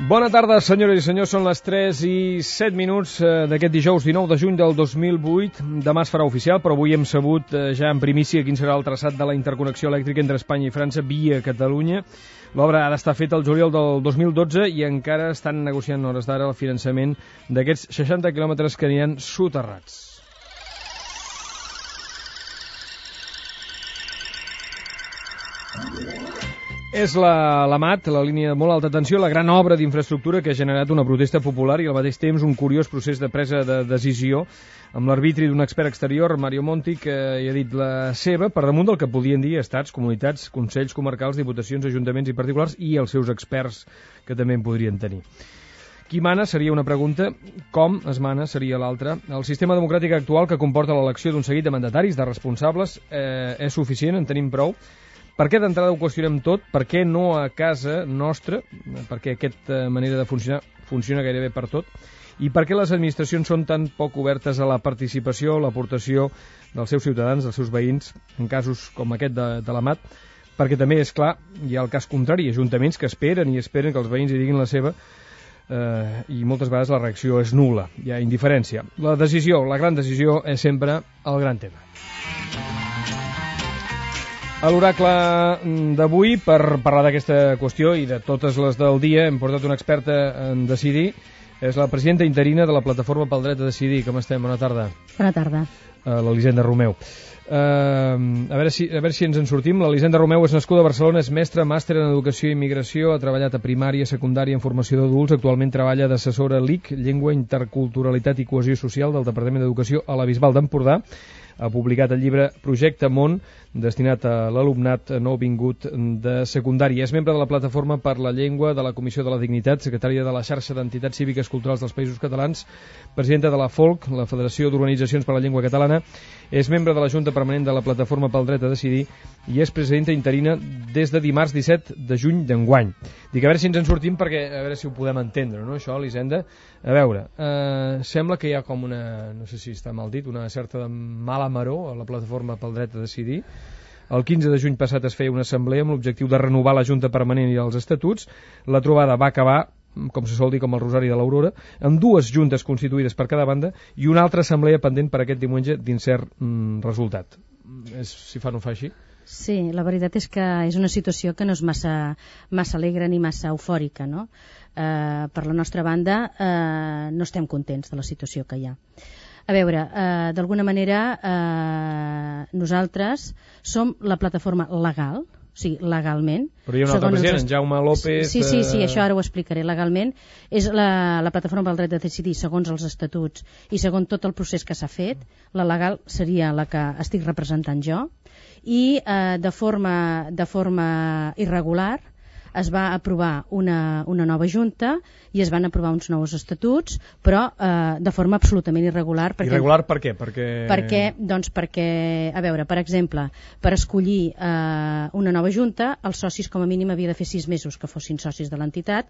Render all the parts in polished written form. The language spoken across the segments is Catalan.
Bona tarda, senyores i senyors. Són les 3:07 d'aquest dijous 19 de juny del 2008. Demà es farà oficial, però avui hem sabut ja en primícia quin serà el traçat de la interconnexió elèctrica entre Espanya i França via Catalunya. L'obra ha d'estar feta el juliol del 2012 i encara estan negociant hores d'ara el finançament d'aquests 60 quilòmetres que aniran soterrats. És la MAT, la línia de molt alta tensió, la gran obra d'infraestructura que ha generat una protesta popular i al mateix temps un curiós procés de presa de decisió amb l'arbitri d'un expert exterior, Mario Monti, que hi ha dit la seva per damunt del que podien dir estats, comunitats, consells comarcals, diputacions, ajuntaments i particulars i els seus experts que també en podrien tenir. Qui mana seria una pregunta, com es mana seria l'altra. El sistema democràtic actual que comporta l'elecció d'un seguit de mandataris, de responsables, és suficient, en tenim prou. Per què d'entrada ho qüestionem tot? Per què no a casa nostra? Perquè aquesta manera de funcionar funciona gairebé per tot? I per què les administracions són tan poc obertes a la participació, l'aportació dels seus ciutadans, dels seus veïns, en casos com aquest de la MAT? Perquè també, és clar, hi ha el cas contrari, ajuntaments que esperen que els veïns hi diguin la seva i moltes vegades la reacció és nul·la, hi ha indiferència. La decisió, la gran decisió, és sempre el gran tema. A l'oracle d'avui, per parlar d'aquesta qüestió i de totes les del dia, hem portat una experta en decidir. És la presidenta interina de la Plataforma pel Dret a Decidir. Com estem? Bona tarda. Bona tarda. L'Elisenda Romeu. A veure si ens en sortim. L'Elisenda Romeu és nascuda a Barcelona, és mestra, màster en Educació i Immigració, ha treballat a primària, secundària, en formació d'adults, actualment treballa d'assessora LIC, Llengua, Interculturalitat i Cohesió Social del Departament d'Educació a la Bisbal d'Empordà. Ha publicat el llibre Projecte Món, destinat a l'alumnat nouvingut de secundària. És membre de la Plataforma per la Llengua, de la Comissió de la Dignitat, secretària de la Xarxa d'Entitats Cíviques Culturals dels Països Catalans, presidenta de la FOLC, la Federació d'Organitzacions per la Llengua Catalana, és membre de la Junta Permanent de la Plataforma pel Dret a Decidir i és presidenta interina des de dimarts 17 de juny d'enguany. Dic, a veure si ens en sortim perquè a veure si ho podem entendre, no, això, Elisenda? A veure, sembla que hi ha com una, no sé si està mal dit, una certa mala maror a la Plataforma pel Dret a Decidir. El 15 de juny passat es feia una assemblea amb l'objectiu de renovar la Junta Permanent i els estatuts. La trobada va acabar, com se sol dir, com el Rosari de l'Aurora, amb dues juntes constituïdes per cada banda i una altra assemblea pendent per aquest diumenge d'incert resultat. Si fa no fa així? Sí, la veritat és que és una situació que no és massa alegre ni massa eufòrica, no? Per la nostra banda no estem contents de la situació que hi ha. A veure, d'alguna manera nosaltres som la plataforma legal, o sigui, legalment. Però hi ha un altre president, Jaume López... Sí, això ara ho explicaré. Legalment és la plataforma pel dret a decidir segons els estatuts i segons tot el procés que s'ha fet. La legal seria la que estic representant jo i de forma irregular es va aprovar una nova junta i es van aprovar uns nous estatuts, però de forma absolutament irregular. Irregular per què? Perquè, a veure, per exemple, per escollir una nova junta, els socis com a mínim havia de fer 6 mesos que fossin socis de l'entitat.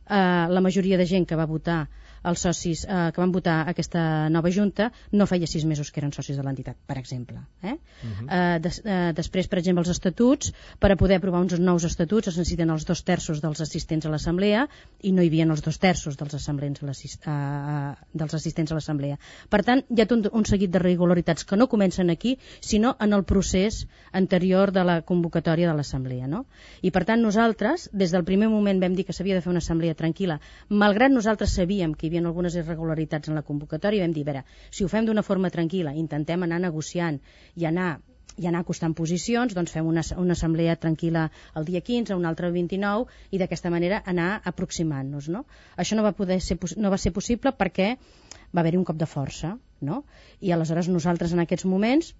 La majoria de gent que va votar, els socis que van votar aquesta nova junta, no feia 6 mesos que eren socis de l'entitat, per exemple. Després, per exemple, els estatuts, per a poder aprovar uns nous estatuts es necessiten els 2/3 dels assistents a l'assemblea i no hi havia els 2/3 dels assistents a l'assemblea. Per tant, hi ha tot un seguit de irregularitats que no comencen aquí, sinó en el procés anterior de la convocatòria de l'assemblea, no? I per tant nosaltres, des del primer moment vam dir que s'havia de fer una assemblea tranquil·la, malgrat nosaltres sabíem que hi havia algunes irregularitats en la convocatòria, vam dir, a veure, si ho fem d'una forma tranquil·la, intentem anar negociant i anar acostant posicions, doncs fem una assemblea tranquil·la el dia 15, una altra el 29 i d'aquesta manera anar aproximant-nos, no? Això no va ser possible perquè va haver-hi un cop de força, no? I aleshores nosaltres en aquests moments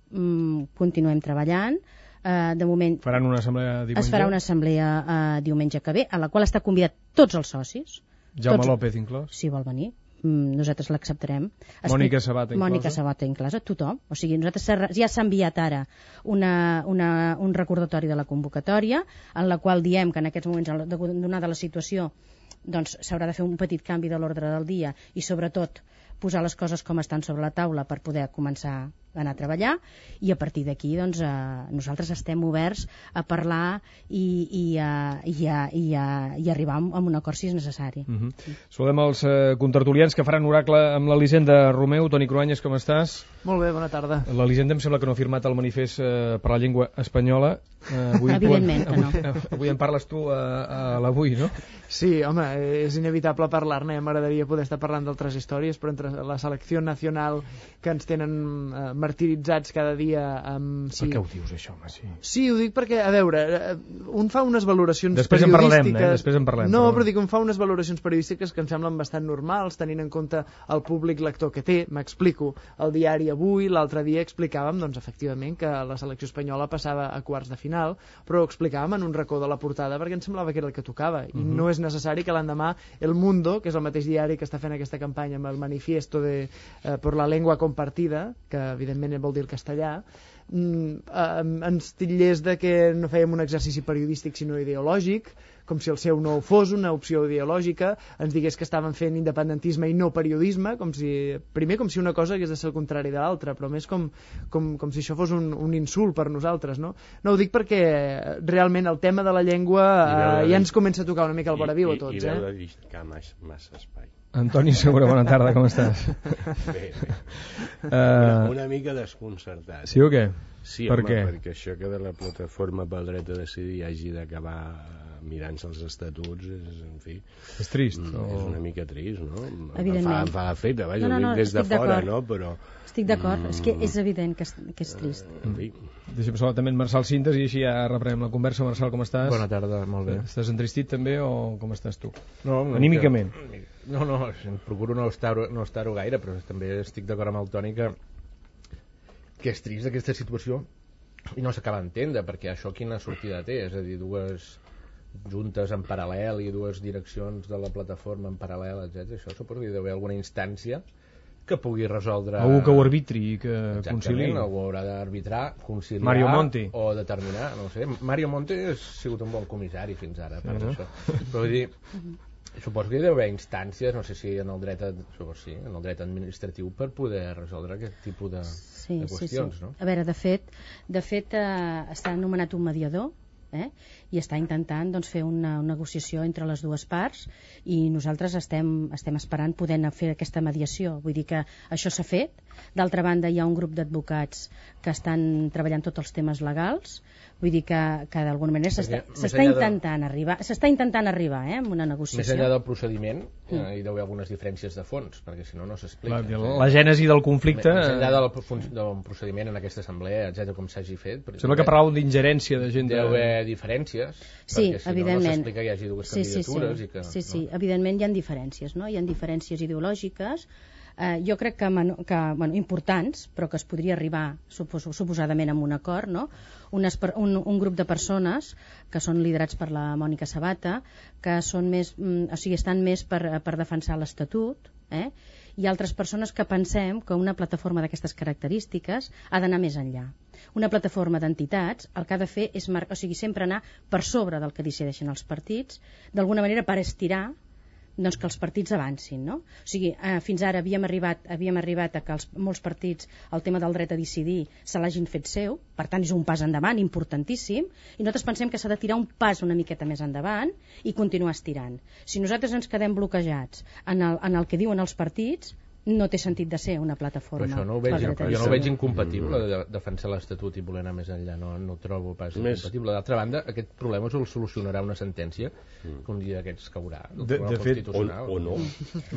continuem treballant. De moment faran una assemblea diumenge? Es farà una assemblea diumenge que ve, a la qual està convidat tots els socis. Jaume López inclòs? Si vol venir. Nosaltres l'acceptarem. Mònica Sabata inclosa, tothom. O sigui, nosaltres ja s'ha enviat ara un recordatori de la convocatòria en la qual diem que en aquests moments, donada la situació, doncs s'haurà de fer un petit canvi de l'ordre del dia i sobretot posar les coses com estan sobre la taula per poder començar anar a treballar, i a partir d'aquí doncs, nosaltres estem oberts a parlar i arribar a un acord si és necessari. Saludem els contertulians que faran oracle amb l'Elisenda Romeu. Toni Cruanyes, com estàs? Molt bé, bona tarda. L'Elisenda em sembla que no ha firmat el manifest per la llengua espanyola. Evidentment que no. Avui en parles tu a l'Avui, no? Sí, home, és inevitable parlar-ne. M'agradaria poder estar parlant d'altres històries, però entre la selecció nacional que ens tenen martiritzats cada dia amb... Per què ho dius, això, home? Sí, ho dic perquè, a veure, un fa unes valoracions després periodístiques... Després en parlem. No, però dic, un fa unes valoracions periodístiques que em semblen bastant normals, tenint en compte el públic lector que té. M'explico. El diari Avui, l'altre dia explicàvem, doncs, efectivament, que la selecció espanyola passava a quarts de final, però ho explicàvem en un racó de la portada perquè em semblava que era el que tocava, i no és necessari que l'endemà El Mundo, que és el mateix diari que està fent aquesta campanya amb el manifiesto per la llengua compartida, que evidentment vol dir el castellà, ens titllés de que no fèiem un exercici periodístic sinó ideològic, com si el seu no fos una opció ideològica, ens digués que estaven fent independentisme i no periodisme, com si una cosa hagués de ser el contrari de l'altra, però més com si això fos un insult per nosaltres, no? No ho dic perquè realment el tema de la llengua ja ens comença a tocar una mica el vora viu a tots. I veure dedicar massa espai. Antoni Segura, bona tarda, com estàs? Bé. Una mica desconcertat. Sí o què? Sí, per home, què? perquè això que de la plataforma pel dret a decidir hagi d'acabar mirant-se els estatuts, en fi... És trist? És una mica trist, no? Evidentment. Em fa l'efecte, vaja, no, ho dic des de fora, no? Però... Estic d'acord, és que és evident que és trist. En fi. Deixa'm saludar també en Marçal Cintes i així ja reprenem la conversa. Marçal, com estàs? Bona tarda, molt bé. Estàs entristit també o com estàs tu? No, anímicament? No, procuro no estar-ho gaire, però també estic d'acord amb el Toni que és trist aquesta situació i no s'acaba d'entendre, perquè això quina sortida té? És a dir, dues juntes en paral·lel i dues direccions de la plataforma en paral·lel, etc. Això suposo que hi deu haver alguna instància que pugui resoldre... Algú que ho arbitri i que conciliï. Exactament, algú haurà d'arbitrar, conciliar Mario Monti. O determinar, no sé. Mario Monti ha sigut un bon comissari fins ara, per això. Però vull dir, suposo que hi deu haver instàncies, no sé si en el dret administratiu per poder resoldre aquest tipus de qüestions, no? A veure, de fet està anomenat un mediador, i està intentant fer una negociació entre les dues parts, i nosaltres estem esperant poder fer aquesta mediació. Vull dir que això s'ha fet. D'altra banda, hi ha un grup d'advocats que estan treballant tots els temes legals. Vull dir que d'alguna manera s'està intentant arribar amb una negociació. Més enllà del procediment, hi deu haver algunes diferències de fons, perquè si no, no s'explica. La gènesi del conflicte... Més enllà del procediment en aquesta assemblea, etc., com s'hagi fet... Sembla que parlàveu d'ingerència de gent... Deu haver diferències, sí, perquè si no s'explica que hi hagi dues candidatures. Sí, evidentment hi ha diferències, no? Hi ha diferències ideològiques, jo crec que importants, però que es podria arribar suposadament a un acord, no? Un grup de persones que són liderats per la Mònica Sabata, que són més, estan més per defensar l'Estatut, i altres persones que pensem que una plataforma d'aquestes característiques ha d'anar més enllà. Una plataforma d'entitats el que ha de fer és sempre anar per sobre del que decideixen els partits, d'alguna manera per estirar que els partits avancin, no? O sigui, fins ara havíem arribat a que molts partits el tema del dret a decidir se l'hagin fet seu, per tant és un pas endavant importantíssim, i nosaltres pensem que s'ha de tirar un pas una miqueta més endavant i continuar estirant. Si nosaltres ens quedem bloquejats en el que diuen els partits, no té sentit de ser una plataforma. Però això jo no ho veig incompatible de defensar l'Estatut i voler anar més enllà, no ho trobo pas incompatible. D'altra banda, aquest problema el solucionarà una sentència que un dia d'aquests caurà. De fet, o no.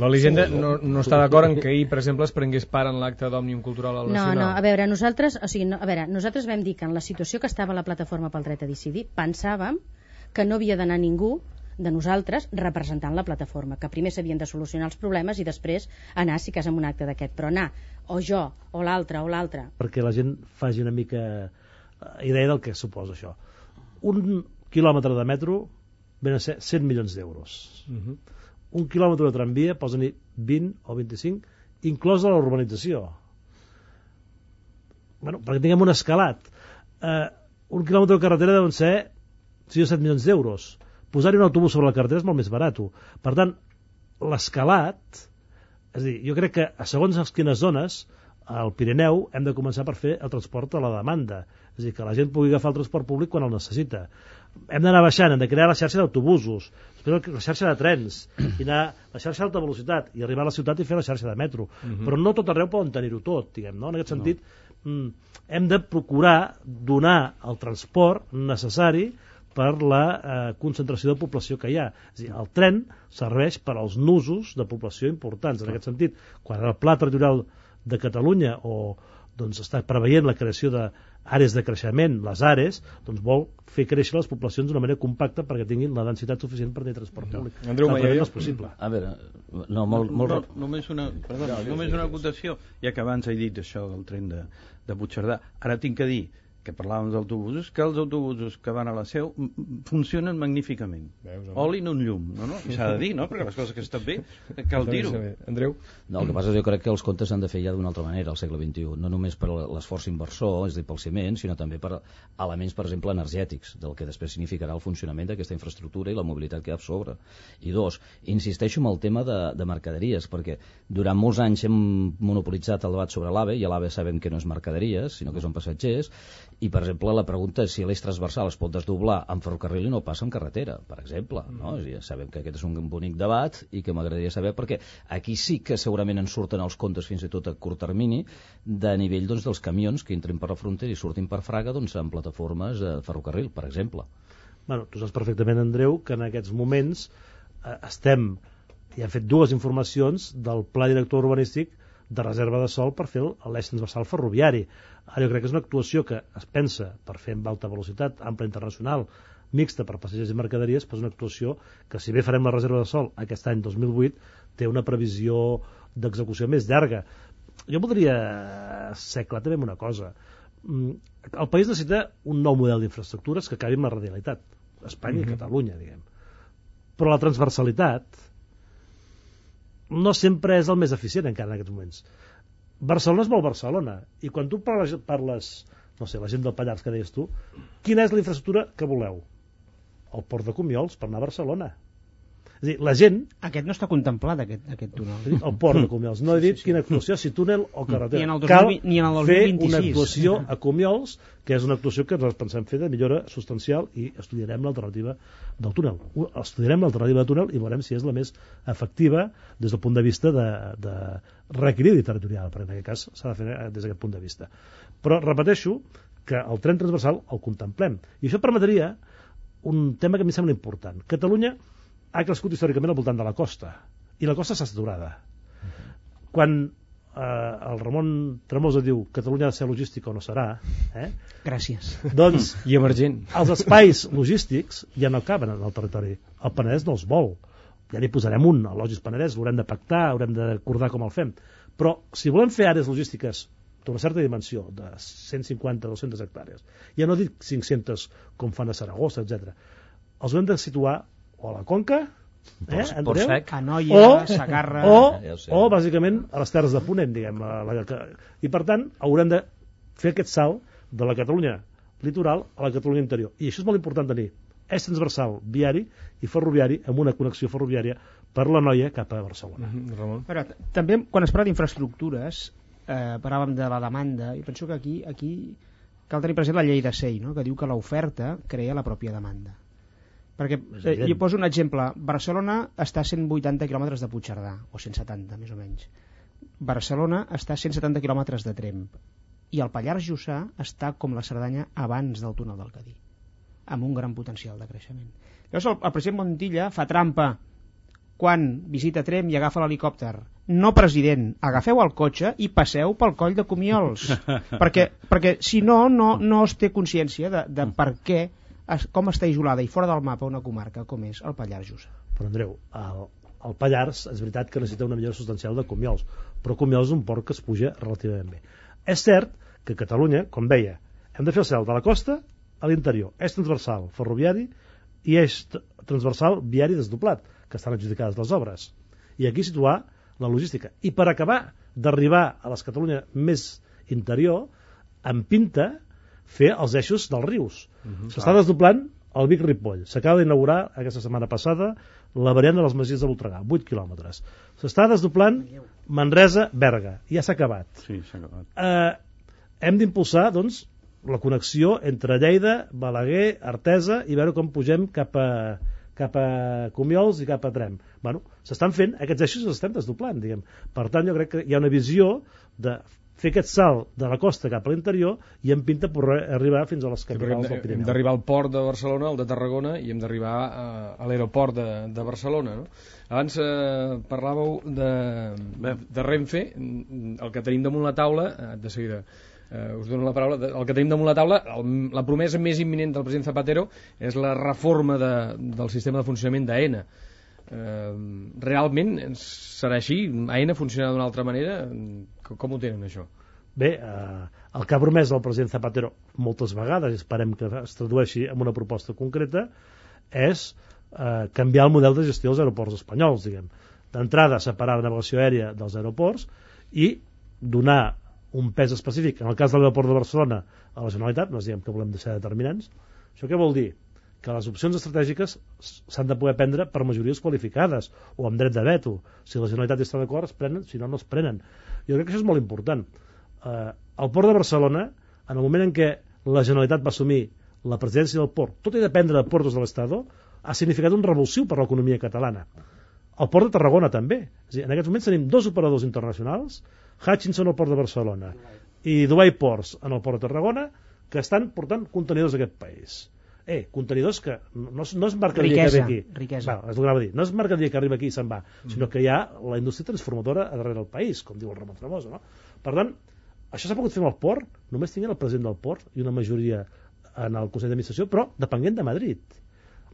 L'Elisenda no està d'acord en que ahir, per exemple, es prengués part en l'acte d'Òmnium Cultural al Nacional. No, a veure, nosaltres vam dir que en la situació que estava la plataforma pel dret a decidir, pensàvem que no havia d'anar ningú de nosaltres representant la plataforma, que primer s'havien de solucionar els problemes i després anar, si cas, en un acte d'aquest, però anar o jo, o l'altre. Perquè la gent faci una mica idea del que suposa això. Un quilòmetre de metro ven a ser 100 milions d'euros. Un quilòmetre de tramvia posa-n'hi 20 o 25, inclosa la urbanització. Perquè tinguem un escalat. Un quilòmetre de carretera deuen ser 6 o 7 milions d'euros. Posar-hi un autobús sobre la carretera és molt més barat. Per tant, l'escalat, és a dir, jo crec que a segons quines zones al Pirineu hem de començar per fer el transport a la demanda, és a dir, que la gent pugui agafar el transport públic quan el necessita. Hem d'anar baixant, hem de crear la xarxa d'autobusos, després la xarxa de trens, i anar la xarxa d'alta velocitat, i arribar a la ciutat i fer la xarxa de metro. Però no tot arreu poden tenir-ho tot, diguem, no? En aquest sentit, hem de procurar donar el transport necessari per la concentració de població que hi ha. És a dir, el tren serveix per als nusos de població importants. En aquest sentit, quan el Pla Territorial de Catalunya doncs, està preveient la creació d'àrees de creixement, les ARES, doncs vol fer créixer les poblacions d'una manera compacta perquè tinguin la densitat suficient per tenir transport públic. Andreu Maia, no és possible. A veure, només una acotació, ja que abans he dit això del tren de Puigcerdà. Ara tinc que dir que parlàvem d'autobusos, que els autobusos que van a la Seu funcionen magníficament. Oli en un llum, no? I s'ha de dir, no? Perquè les coses que estan bé, cal dir-ho. Andreu? No, el que passa és que jo crec que els comptes s'han de fer ja d'una altra manera al segle XXI, no només per l'esforç inversor, és a dir, pel ciment, sinó també per elements, per exemple, energètics, del que després significarà el funcionament d'aquesta infraestructura i la mobilitat que hi ha a sobre. I dos, insisteixo en el tema de mercaderies, perquè durant molts anys hem monopolitzat el debat sobre l'AVE, i l'AVE sabem que no és mercaderies, sinó que són passatgers, i per exemple la pregunta és si l'eix transversal es pot desdoblar en ferrocarril i no passa en carretera, per exemple, no? Ja sabem que aquest és un bonic debat i que m'agradaria saber, perquè aquí sí que segurament en surten els comptes fins i tot a curt termini de nivell doncs, dels camions que entrin per la frontera i surtin per Fraga doncs, en plataformes de ferrocarril, per exemple. Bueno, tu saps perfectament, Andreu, que en aquests moments estem i hem fet dues informacions del Pla Director Urbanístic de reserva de sòl per fer l'eix transversal ferroviari. Ara jo crec que és una actuació que es pensa per fer amb alta velocitat, ampla internacional, mixta per passatgers i mercaderies, però és una actuació que, si bé farem la reserva de sòl aquest any 2008, té una previsió d'execució més llarga. Jo voldria ser clar també amb una cosa. El país necessita un nou model d'infraestructures que acabi amb la radialitat. Espanya i Catalunya, diguem. Però la transversalitat no sempre és el més eficient encara en aquests moments. Barcelona és molt Barcelona, i quan tu parles, no sé, la gent del Pallars que deies tu, quina és la infraestructura que voleu? El port de Comiols per anar a Barcelona. És a dir, la gent... Aquest no està contemplat, aquest túnel. El port de Comiols. No he dit quina actuació, si túnel o carretera. Cal fer una actuació a Comiols, que és una actuació que ens pensem fer de millora substancial, i estudiarem l'alternativa del túnel. Estudiarem l'alternativa del túnel i veurem si és la més efectiva des del punt de vista de reequilibri territorial, perquè en aquest cas s'ha de fer des d'aquest punt de vista. Però repeteixo que el tren transversal el contemplem. I això permetria un tema que a mi sembla important. Catalunya ha crescut històricament al voltant de la costa, i la costa està saturada. Quan el Ramon Tremosa diu Catalunya ha de ser logística o no serà, gràcies. Doncs i emergent. Els espais logístics ja no caben en el territori. El Penedès no els vol. Ja n'hi posarem un, el Logis Penedès, l'haurem de pactar, haurem d'acordar com el fem. Però si volem fer àrees logístiques d'una certa dimensió, de 150-200 hectàrees, ja no dic 500 com fan a Saragossa, etc. Els haurem de situar o a la Conca, a Noia, Sagarra, o bàsicament a les Terres de Ponent, diguem. I per tant haurem de fer aquest salt de la Catalunya litoral a la Catalunya interior. I això és molt important tenir eix transversal viari i ferroviari amb una connexió ferroviària per la Noia cap a Barcelona. Ramon. Però també quan es parla d'infraestructures parlàvem de la demanda, i penso que aquí cal tenir present la llei de SEI, no? Que diu que l'oferta crea la pròpia demanda. Perquè jo poso un exemple. Barcelona està a 180 quilòmetres de Puigcerdà, o 170 més o menys. Barcelona està a 170 quilòmetres de Tremp, i el Pallars Jussà està com la Cerdanya abans del túnel del Cadí, amb un gran potencial de creixement. Llavors el president Montilla fa trampa quan visita Tremp i agafa l'helicòpter. No, president, agafeu el cotxe i passeu pel coll de Comiols, perquè si no es té consciència de per què, com està isolada i fora del mapa una comarca com és el Pallars Jussà. Però Andreu, el Pallars és veritat que necessita una millora substancial de Comiols, però Comiols és un port que es puja relativament bé. És cert que Catalunya, com deia, hem de fer el cel de la costa a l'interior, eix transversal ferroviari i eix transversal viari desdoblat, que estan adjudicades les obres, i aquí situar la logística. I per acabar d'arribar a les Catalunya més interior, en pinta fer els eixos dels rius. S'està desdoblant el Vic-Ripoll. S'acaba d'inaugurar aquesta setmana passada la variant de les Masies de Voltregà, 8 quilòmetres. S'està desdoblant Manresa-Berga. Ja s'ha acabat. Sí, s'ha acabat. Hem d'impulsar, doncs, la connexió entre Lleida, Balaguer, Artesa i veure com pugem cap a Comiols i cap a Tremp. Bueno, s'estan fent, aquests eixos els estem desdoblant, diguem. Per tant, jo crec que hi ha una visió de fer aquest salt de la costa cap a l'interior i en pinta per arribar fins a les capitals del Pirineu. Hem d'arribar al port de Barcelona, al de Tarragona, i hem d'arribar a l'aeroport de Barcelona, no? Abans parlàveu de Renfe, el que tenim damunt la taula, de seguida us dono la paraula, el que tenim damunt la taula, la promesa més imminent del president Zapatero és la reforma del sistema de funcionament d'AENA. Realment serà així? AENA funcionarà d'una altra manera? Com ho tenen, això? Bé, el que ha promès el president Zapatero moltes vegades, i esperem que es tradueixi en una proposta concreta, és canviar el model de gestió dels aeroports espanyols, diguem. D'entrada, separar la navegació aèria dels aeroports i donar un pes específic, en el cas de l'aeroport de Barcelona, a la Generalitat, no diguem que volem deixar determinants. Això què vol dir? Que les opcions estratègiques s'han de poder prendre per majories qualificades o amb dret de veto. Si la Generalitat està d'acord, es prenen, si no, no es prenen. Jo crec que això és molt important. El port de Barcelona, en el moment en què la Generalitat va assumir la presidència del port, tot i dependre de Portos de l'Estado, ha significat un revulsiu per l'economia catalana. El port de Tarragona també. És a dir, en aquests moments tenim 2 operadors internacionals, Hutchinson al port de Barcelona i Dubai Ports en el port de Tarragona, que estan portant contenidors a aquest país. Contenidors que no és mercaderia que ve aquí. Riquesa. És el que anava a dir. No és mercaderia que arriba aquí i se'n va, sinó que hi ha la indústria transformadora a darrere del país, com diu el Ramon Tremosa, no? Per tant, això s'ha pogut fer amb el port, només tinguent el president del port i una majoria en el Consell d'Administració, però depenent de Madrid.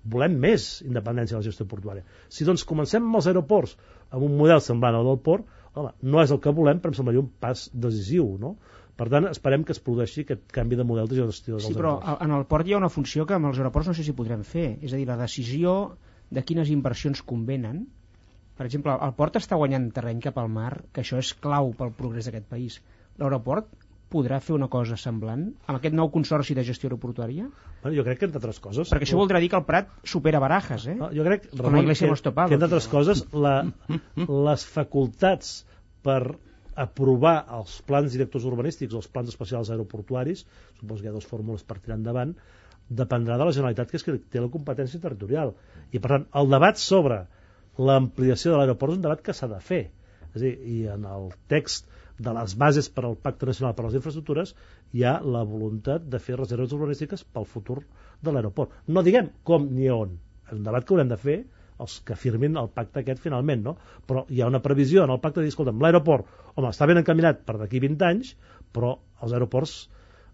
Volem més independència de la gestió portuària. Si doncs comencem amb els aeroports amb un model semblant al del port, home, no és el que volem, però em semblaria un pas decisiu, no? Per tant, esperem que es produeixi aquest canvi de model de gestió dels aeroports. Sí, però en el port hi ha una funció que amb els aeroports no sé si podrem fer, és a dir, la decisió de quines inversions convenen. Per exemple, el port està guanyant terreny cap al mar, que això és clau pel progrés d'aquest país. L'aeroport podrà fer una cosa semblant amb aquest nou consorci de gestió aeroportuària? Bueno, jo crec que, entre altres coses... Perquè això voldrà dir que el Prat supera Barajas, eh? No, jo crec, Ramon, que entre altres coses, les facultats per aprovar els plans directors urbanístics o els plans especials aeroportuaris, suposo que hi ha 2 fórmules per tirar endavant, dependrà de la Generalitat, que és que té la competència territorial. I, per tant, el debat sobre l'ampliació de l'aeroport és un debat que s'ha de fer. És a dir, i en el text de les bases per al Pacte Nacional per a les Infraestructures hi ha la voluntat de fer reserves urbanístiques pel futur de l'aeroport. No diguem com ni on, és un debat que haurem de fer els que firmin el pacte aquest finalment, no? Però hi ha una previsió en el pacte de dir, escolta'm, l'aeroport, home, està ben encaminat per d'aquí 20 anys, però els aeroports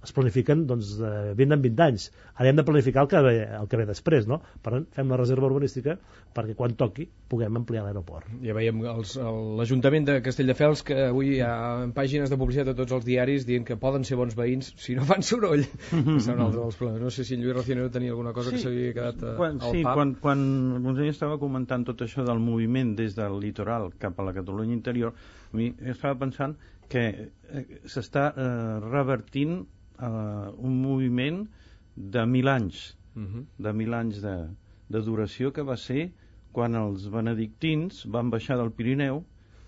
es planifiquen doncs, de 20 en 20 anys. Ara hem de planificar el que ve després, no? Per tant, fem la reserva urbanística perquè quan toqui puguem ampliar l'aeroport. Ja veiem l'Ajuntament de Castelldefels, que avui hi ha pàgines de publicitat a tots els diaris dient que poden ser bons veïns si no fan soroll. Serà un altre dels problemes. No sé si en Lluís Racionero tenia alguna cosa que s'havia quedat al pap. Quan el conseller estava comentant tot això del moviment des del litoral cap a la Catalunya interior, a mi estava pensant que s'està revertint un moviment de 1.000 anys de 1.000 anys de duració, que va ser quan els benedictins van baixar del Pirineu,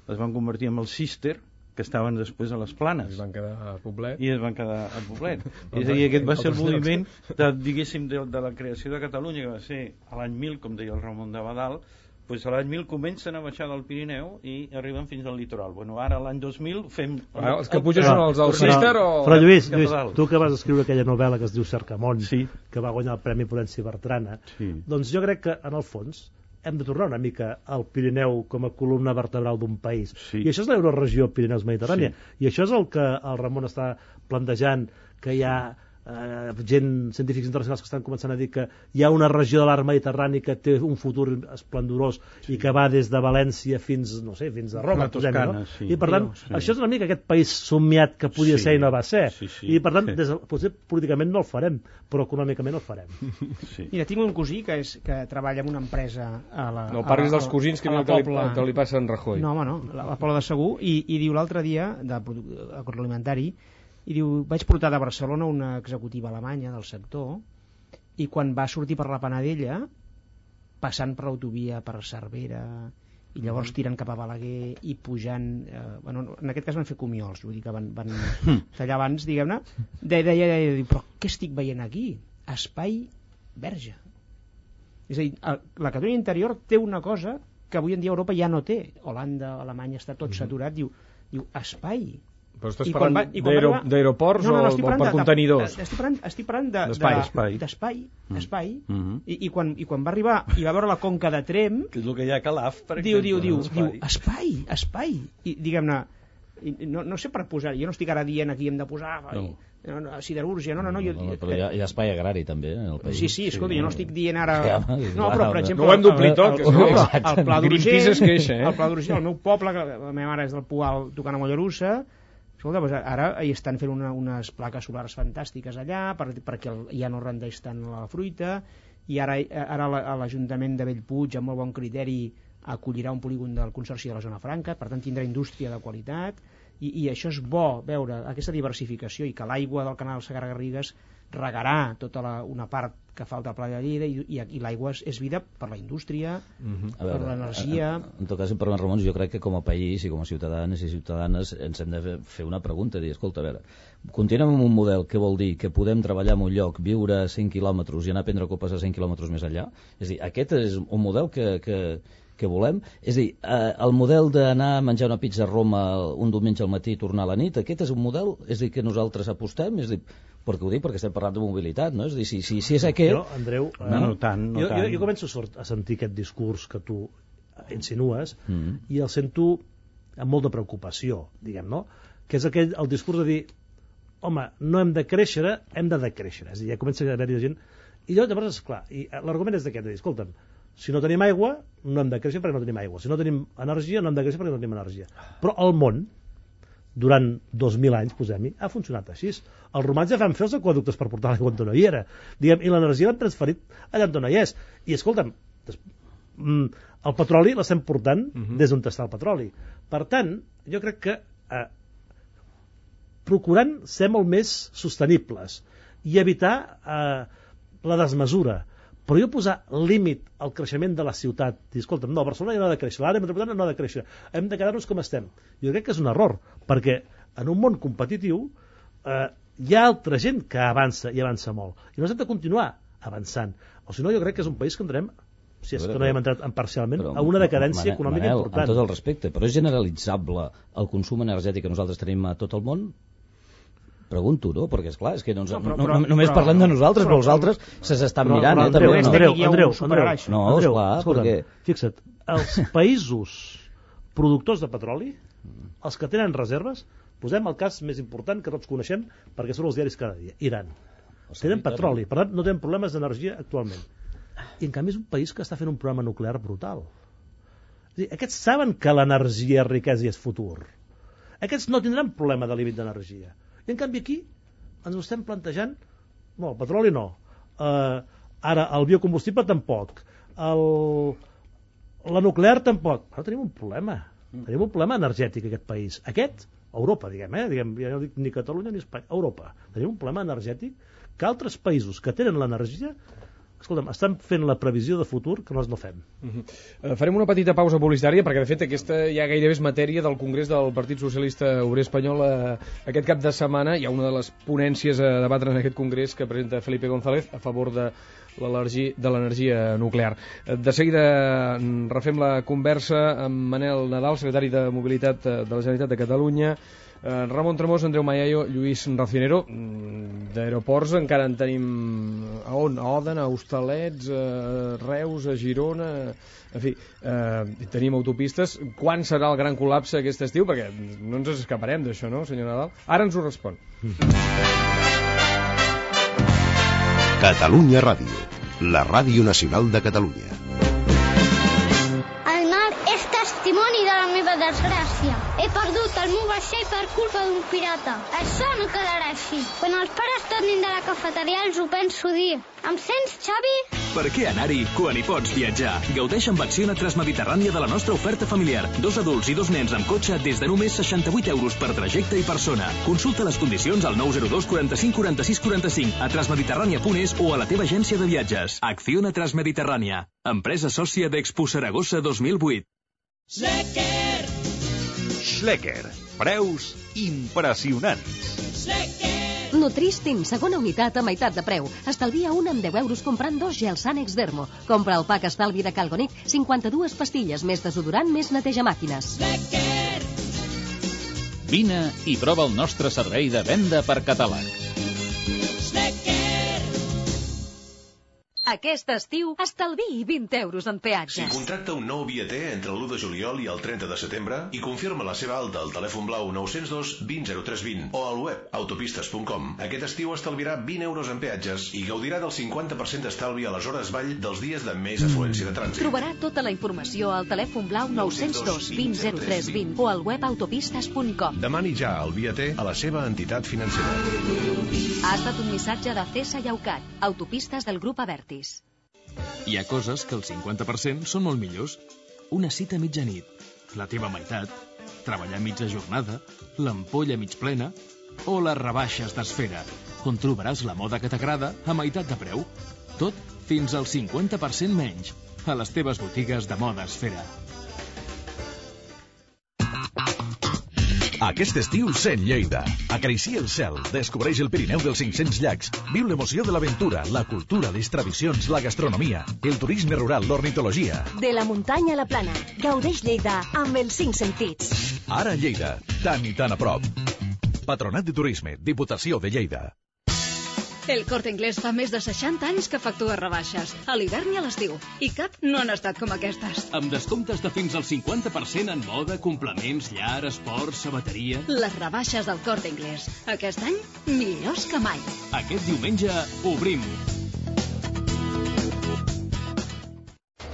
es van convertir en el Cister, que estaven després a les Planes. Es van quedar a Poblet. I es van quedar a Poblet. És a dir, aquest va ser el moviment diguéssim, de la creació de Catalunya, que va ser a l'any 1000, com deia el Ramon de Badal. Pues a l'any 1000 comencen a baixar del Pirineu i arriben fins al litoral. Bueno, ara l'any 2000 fem... Els que pugen són els del Cister o... Però Lluís, tu que vas escriure aquella novel·la que es diu Cercamón, que va guanyar el Premi Prudenci Bertrana, doncs jo crec que, en el fons, hem de tornar una mica al Pirineu com a columna vertebral d'un país. I això és l'euroregió Pirineus-Mediterrània. I això és el que el Ramon està plantejant, que hi ha científics internacionals que estan començant a dir que hi ha una regió de l'arc mediterrani que té un futur esplendorós i que va des de València fins, no sé, fins a Roma, Toscana, no? I per tant, això és una mica aquest país somiat que podia ser i no va ser. I per tant, potser políticament no el farem, però econòmicament el farem. Mira, tinc un cosí que treballa en una empresa a la... No parlis dels cosins que li passa en Rajoy. No, home, no, a la Pobla de Segur, i diu l'altre dia, d'agroalimentari, i diu, vaig portar de Barcelona una executiva alemanya del sector i quan va sortir per la Panadella, passant per l'autovia per Cervera, i llavors tirant cap a Balaguer i pujant, en aquest cas van fer Comiols, vull dir que van tallar abans, diguem-ne, deia, però què estic veient aquí? Espai verge. És a dir, la Catalunya interior té una cosa que avui en dia Europa ja no té. Holanda, Alemanya, està tot saturat, diu espai. Però estàs parlant d'aeroports o per contenidors? Estic parlant d'espai. I quan va arribar i va veure la conca de Tremp, que és el que hi ha a Calaf, per exemple, diu espai. I diguem-ne, no sé per posar, jo no estic ara dient aquí hem de posar siderúrgia, no. Però hi ha espai agrari també en el país. Sí, escolta, jo no estic dient ara... No, però per exemple... No ho hem d'omplir tot, el Pla Greenpeace es queixa, el Pla d'Urgell, el meu poble, la meva mare és del Poal tocant a Mollerussa, escolta, doncs ara hi estan fent unes plaques solars fantàstiques allà perquè ja no rendeix tant la fruita, i ara l'Ajuntament de Bellpuig, amb molt bon criteri, acollirà un polígon del Consorci de la Zona Franca, per tant tindrà indústria de qualitat, i això és bo veure aquesta diversificació, i que l'aigua del canal Segarra-Garrigues regarà tota una part que falta al Pla de Lleida, i l'aigua és vida per la indústria, per l'energia. En tot cas, per Ramon, jo crec que com a país i com a ciutadans i ciutadanes ens hem de fer una pregunta, dir, escolta, a veure, continuem amb un model que vol dir que podem treballar en un lloc, viure a 100 quilòmetres i anar a prendre copes a 100 quilòmetres més enllà? És a dir, aquest és un model que volem? És a dir, el model d'anar a menjar una pizza a Roma un diumenge al matí i tornar a la nit, aquest és un model? És a dir, que nosaltres apostem? És a dir, perquè ho dic perquè estem parlant de mobilitat, no? És a dir, si és aquest... Jo, Andreu, no tant. Jo començo a sentir aquest discurs que tu insinues i el sento amb molta preocupació, diguem, no? Que és el discurs de dir, home, no hem de créixer, hem de decréixer. És a dir, ja comença a haver-hi gent... I llavors, esclar, l'argument és d'aquest, de dir, escolta'm, si no tenim aigua, no hem de créixer perquè no tenim aigua. Si no tenim energia, no hem de créixer perquè no tenim energia. Però el món, durant 2.000 anys, posem-hi, ha funcionat així. Els romans ja van fer els aqüeductes per portar l'aigua on no hi era. Diguem, i l'energia l'han transferit allà on no hi és. I escolta'm, el petroli l'estem portant des d'on està el petroli. Per tant, jo crec que procurant ser molt més sostenibles i evitar la desmesura, però jo posar límit al creixement de la ciutat, dir, escolta'm, no, Barcelona ja no ha de créixer, l'àrea metropolitana no ha de créixer, hem de quedar-nos com estem. Jo crec que és un error, perquè en un món competitiu hi ha altra gent que avança i avança molt, i nosaltres hem de continuar avançant, o si no jo crec que és un país que entrem, si és que no hi hem entrat parcialment, a una decadència econòmica important. Amb tot el respecte, però és generalitzable el consum energètic que nosaltres tenim a tot el món? Pregunto, no? Perquè, esclar, és que només parlem de nosaltres, però els altres s'estan mirant. Andreu, no, esclar, perquè... Fixa't, els països productors de petroli, els que tenen reserves, posem el cas més important que tots coneixem, perquè són els diaris cada dia, Iran. Tenen petroli, per tant no tenen problemes d'energia actualment. I en canvi és un país que està fent un programa nuclear brutal. És dir, aquests saben que l'energia és riquesa i és futur. Aquests no tindran problema de límit d'energia. I en canvi aquí ens ho estem plantejant, no, el petroli no, ara el biocombustible tampoc, la nuclear tampoc. Però tenim un problema energètic en aquest país. Europa, diguem, ja no dic ni Catalunya ni Espanya, Europa. Tenim un problema energètic que altres països que tenen l'energia, escolta'm, estan fent la previsió de futur que nosaltres no fem. Farem una petita pausa publicitària perquè de fet aquesta ja gairebé és matèria del Congrés del Partit Socialista Obrer Espanyol aquest cap de setmana. Hi ha una de les ponències a debatre en aquest Congrés que presenta Felipe González a favor de l'energia nuclear. De seguida refem la conversa amb Manel Nadal, secretari de Mobilitat de la Generalitat de Catalunya, Ramon Tremós, Andreu Mayayo, Lluís Racionero. D'aeroports encara en tenim a Òdena, a Hostalets, a Reus, a Girona, en fi, tenim autopistes. Quan serà el gran col·lapse aquest estiu? Perquè no ens escaparem d'això, no, senyor Nadal? Ara ens ho respon. Catalunya Ràdio, la ràdio nacional de Catalunya. El mar és testimoni de la meva desgràcia. He perdut el meu vaixell per culpa d'un pirata. Això no quedarà així. Quan els pares tornin de la cafeteria els ho penso dir. Em sents, Xavi? Per què anar-hi quan hi pots viatjar? Gaudeix amb Acciona Transmediterrània de la nostra oferta familiar. 2 adults i 2 nens amb cotxe des de només 68 euros per trajecte i persona. Consulta les condicions al 902 45 46 45 a transmediterrània.es o a la teva agència de viatges. Acciona Transmediterrània, empresa sòcia d'Expo Saragossa 2008. Schlecker. Preus impressionants. Nutristim, segona unitat a meitat de preu. Estalvia un amb 10 euros comprant 2 gels Ànex Dermo. Compra el pack estalvi de Calgonic, 52 pastilles, més desodorant, més neteja màquines. Vine i prova el nostre servei de venda per catàleg. Aquest estiu, estalviï 20 euros en peatges. Si contracta un nou viater entre l'1 de juliol i el 30 de setembre i confirma la seva alta al telèfon blau 902 20 0320 o al web autopistes.com, aquest estiu estalviarà 20 euros en peatges i gaudirà del 50% d'estalvi a les hores vall dels dies de més afluència de trànsit. Trobarà tota la informació al telèfon blau 902 20 0320 o al web autopistes.com. Demani ja el viater a la seva entitat financera. Ha estat un missatge de CESA i AUCAT, autopistes del grup Avertis. Hi ha coses que el 50% són molt millors. Una cita a mitjanit, la teva meitat, treballar mitja jornada, l'ampolla mig plena o les rebaixes d'Esfera, on trobaràs la moda que t'agrada a meitat de preu. Tot fins al 50% menys a les teves botigues de moda Esfera. Aquest estiu sent Lleida. Acaricia el cel, descobreix el Pirineu dels 500 llacs, viu l'emoció de l'aventura, la cultura, les tradicions, la gastronomia, el turisme rural, l'ornitologia. De la muntanya a la plana, gaudeix Lleida amb els 5 sentits. Ara Lleida, tan i tan a prop. Patronat de Turisme, Diputació de Lleida. El Corte Inglés fa més de 60 anys que factua rebaixes, a l'hivern i a l'estiu, i cap no han estat com aquestes. Amb descomptes de fins al 50% en moda, complements, llar, esport, sabateria... Les rebaixes del Corte Inglés. Aquest any, millors que mai. Aquest diumenge, obrim.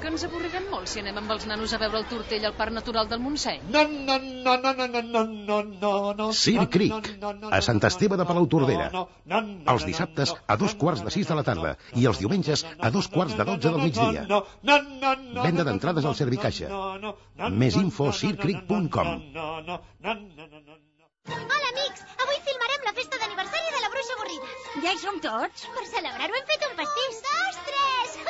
Que ens avorrirem molt si anem amb els nanos a veure el Tortell al Parc Natural del Montseny. Circ Creek, a Sant Esteve de Palautordera. Els dissabtes a 2:45 de la tarda i els diumenges a 2:45 del migdia. Venda d'entrades al Servicaixa. Més info circcreek.com. Hola, amics! Avui filmarem la festa d'aniversari de la Bruixa Avorrida. Ja hi som tots? Per celebrar-ho hem fet un pastís. 2, 3!